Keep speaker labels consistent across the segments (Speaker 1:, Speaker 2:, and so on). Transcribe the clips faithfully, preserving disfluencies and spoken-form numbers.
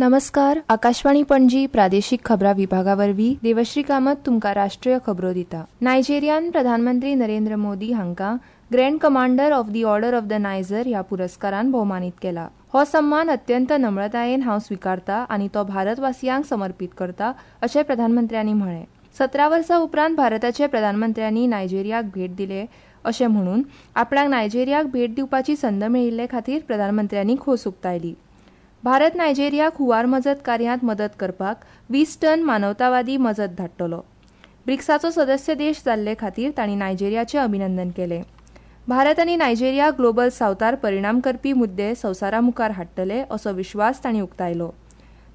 Speaker 1: नमस्कार. आकाशवाणी पणजी प्रादेशीक खबरां विभागा वरवीं देवश्री कामत तुमकां राष्ट्रीय खबरो दिता. नायजेरियान प्रधानमंत्री नरेंद्र मोदी हांकां Grand Commander of the Order of the Niger ह्या पुरस्कारान भोवमानीत केला. हो सम्मान अत्यंत नम्रतायेन हांव स्विकारता आनी तो भारतवासियांक समर्पित करता अशें प्रधानमंत्र्यांनी म्हळें. सतरा वर्सां उपरांत भारताचे प्रधानमंत्र्यांनी नायजेरियाक भेट दिले अशें म्हणून आपणाक नायजेरियाक भेट दिवपाची संद मेळिल्ले खातीर प्रधानमंत्र्यांनी खोस उक्तायली. भारत नायजेरियाक हुंवार मजत कार्यांत मदत करपाक वीस टन मानवतावादी मजत धाडटलो. ब्रिक्साचो सदस्य देश जाल्ले खातीर तांणी नायजेरियाचें अभिनंदन केलें. भारत आनी नायजेरिया ग्लोबल सावथार परिणाम करपी मुद्दे संवसारा मुखार हाडटले असो विश्वास तांणी उक्तायलो.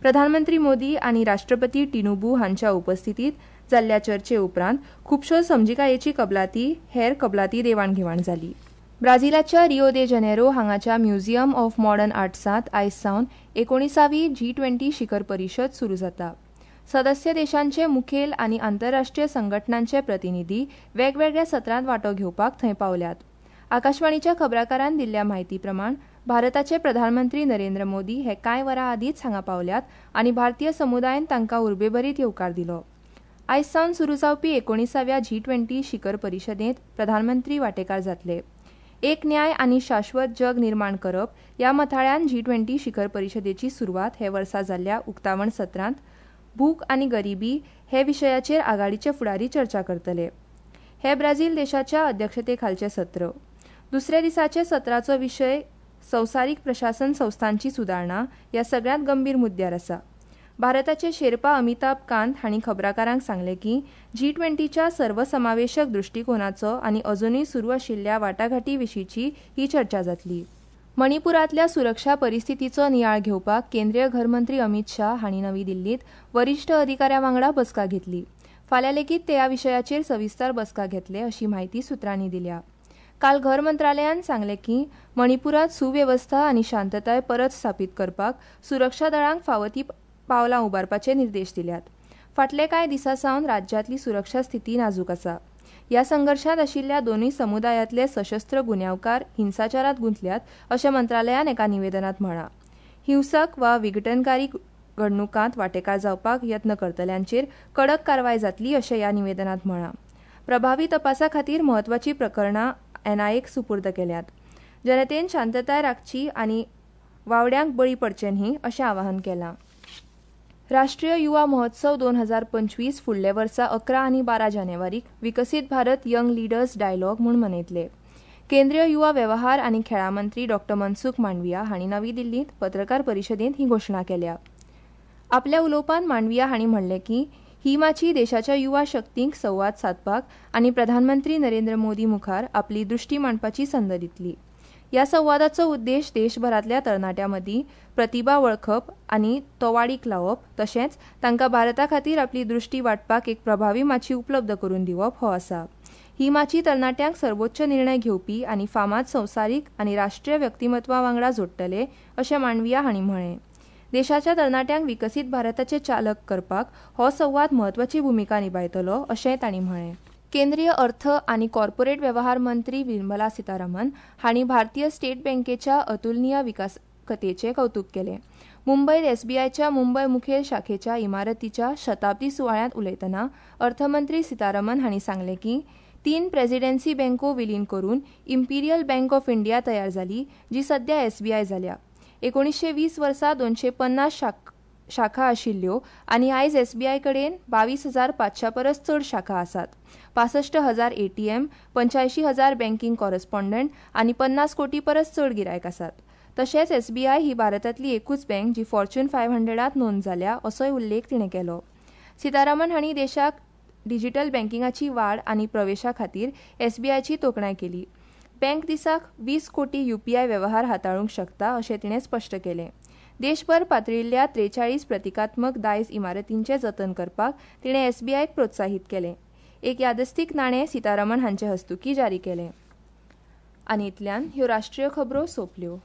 Speaker 1: प्रधानमंत्री मोदी आनी राष्ट्रपती टिनुबू हांच्या उपस्थितीत जाल्ल्या चर्चे उपरांत खुबश्यो समजिकायेची कबलाती हेर कबलाती देवाणघेवाण जाली. ब्राझिलाच्या रिओ दे जनेरो हांगाच्या म्युझियम ऑफ मॉडर्न आर्ट्सांत आयज सावन एकोणिसावी जी ट्वेंटी शिखर परिशद सुरू जाता. सदस्य देशांचे मुखेल आनी आंतरराष्ट्रीय संघटनांचे प्रतिनिधी वेगवेगळ्या सत्रांत वांटो घेवपाक थंय पावल्यात. आकाशवाणीच्या खबराकारान दिल्ल्या म्हायती प्रमाण भारताचे प्रधानमंत्री नरेंद्र मोदी हे कांय वरां आदींच हांगा पावल्यात आनी भारतीय समुदायान तांकां उर्बेभरीत येवकार दिलो. आयज सावन सुरू जावपी एकोणिसाव्या जी ट्वेंटी शिखर परिशदेंत प्रधानमंत्री वांटेकार जातले. एक न्याय आनी शाश्वत जग निर्माण करप ह्या मथाळ्यान जी ट्वेंटी शिखर परिशदेची सुरवात हे वर्सा जाल्ल्या उक्तावण सत्रांत भूक आनी गरिबी हे विशयाचेर आघाडीचे फुडारी चर्चा करतले. हे ब्राझील देशाच्या अध्यक्षते खालचें सत्र. दुसऱ्या दिसाचे सत्राचो विशय संवसारीक प्रशासन संस्थांची सुदारणा ह्या सगळ्यांत गंभीर मुद्द्यार आसा. भारताचे शेर्पा अमिताभ कांत हांणी खबराकारांक सांगलें की जी ट्वेंटीच्या सर्वसमावेशक दृश्टीकोनाचो आनी अजुनूय सुरू आशिल्ल्या वाटाघाटी विशींची ही चर्चा जातली. मणिपुरांतल्या सुरक्षा परिस्थितीचो नियाळ घेवपाक केंद्रीय घरमंत्री अमित शाह हांणी नवी दिल्लींत वरिश्ठ अधिकाऱ्यां वांगडा बसका घेतली. फाल्यां लेगीत ते ह्या विशयाचेर सविस्तर बसका घेतले अशी म्हायती सुत्रांनी दिल्या. काल घर मंत्रालयान सांगलें की मणिपुरांत सुवेवस्था आनी शांतताय परत स्थापीत करपाक सुरक्षा दळांक फावो ती पावलां उबारपाचे निर्देश दिल्यात. फाटले कांय दिसां सावन राज्यांतली सुरक्षा स्थिती नाजूक आसा. ह्या संघर्शांत आशिल्ल्या दोनूय समुदायांतले सशस्त्र गुन्यांवकार हिंसाचारांत गुंतल्यात अशें मंत्रालयान एका निवेदनांत म्हळां. हिंसक वा विघटनकारी घडणुकांत वांटेकार जावपाक यत्न करतल्यांचेर कडक कारवाय जातली अशें ह्या निवेदनांत म्हळां. प्रभावी तपासा खातीर म्हत्वाचीं प्रकरणां एनआयएक सुपूर्द केल्यात. जनतेन शांतताय राखची आनी वावड्यांक बळी पडचे न्ही अशें आवाहन केलां. राष्ट्रीय युवा महोत्सव दोन हजार पंचवीस फुडल्या वर्सा अकरा आनी बारा जानेवारीक विकसीत भारत यंग लिडर्स डायलॉग म्हूण मनयतले. केंद्रीय युवा वेव्हार आनी खेळां मंत्री डॉ मनसुख मांडविया हांणी नवी दिल्लींत पत्रकार परिशदेंत ही घोशणा केल्या. आपल्या उलोवपांत मांडविया हांणी म्हणलें की ही माची देशाच्या युवा शक्तींक संवाद सादपाक आनी प्रधानमंत्री नरेंद्र मोदी मुखार आपली दृश्टी मांडपाची संद दितली. ह्या संवादाचो उद्देश देशभरांतल्या तरणाट्यां मदीं प्रतिभा वळखप आनी तो वाडीक लावप तशेंच तांकां भारता खातीर आपली दृश्टी वांटपाक एक प्रभावी माची उपलब्ध करून दिवप हो आसा. ही माची तरणाट्यांक सर्वोच्च निर्णय घेवपी आनी फामाद संवसारीक आनी राष्ट्रीय व्यक्तिमत्वा वांगडा जोडटले अशें मांडविया हांणी म्हळें. देशाच्या तरणाट्यांक विकसीत भारताचे चालक करपाक हो संवाद म्हत्वाची भुमिका निभायतलो अशेंय तांणी म्हळें. केंद्रीय अर्थ आनी कॉर्पोरेट वेव्हार मंत्री निर्मला सीतारामन हांणी भारतीय स्टेट बँकेच्या अतुलनीय विकासकथेचें कौतुक केलें. मुंबयत एसबीआयच्या मुंबय मुखेल शाखेच्या इमारतीच्या शताब्दी सुवाळ्यांत उलयतना अर्थमंत्री सीतारामन हांणी सांगलें की तीन प्रेसिडेन्सी बँको विलीन करून इम्पिरियल बँक ऑफ इंडिया तयार जाली जी सध्या एसबीआय जाल्या. एकोणीसशे वीस वर्सा दोनशे पन्नास शाखा आशिल्ल्यो आनी आयज एसबीआय कडेन बावीस हजार पांचश्या परस चड शाखा आसात. पासश्ट हजार एटीएम, पंच्यायशीं हजार बँकिंग कॉरस्पॉन्डंट आनी पन्नास कोटी परस चड गिरायक आसात. तशेंच एसबीआय ही भारतांतली एकूच बँक जी फॉर्च्यून फायव्ह हंड्रेडांत नोंद जाल्या असोय उल्लेख तिणें केलो. सीतारामन हांणी देशाक डिजिटल बँकिंगाची वाड आनी प्रवेशा खातीर एसबीआयची तोखणाय केली. बँक दिसाक वीस कोटी युपीआय वेव्हार हाताळूंक शकता अशें तिणें स्पश्ट केलें. देशभर पातळिल्ल्या त्रेचाळीस प्रतिकात्मक दायज इमारतींचें जतन करपाक तिणें एसबीआयक प्रोत्साहीत केलें. एक यादस्तीक नाणें सीतारामन हांचे हस्तुकीं जारी केलें. आनी इतल्यान ह्यो राष्ट्रीय खबरो सोंपल्यो.